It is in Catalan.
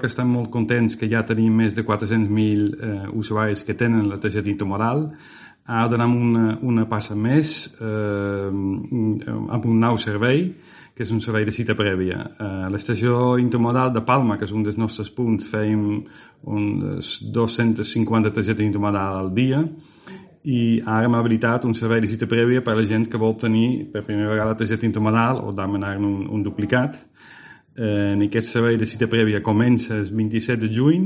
que estem molt contents que ja tenim més de 400.000 usuaris que tenen la targeta intermodal. Ara donem una passa més amb un nou servei, que és un servei de cita prèvia. A l'estació intermodal de Palma, que és un dels nostres punts, fèiem unes 250 targetes intermodal al dia, i ara hem habilitat un servei de cita prèvia per a la gent que vol obtenir per primera vegada la targeta intermodal o demanar un duplicat. En aquest servei de cita prèvia comença el 27 de juny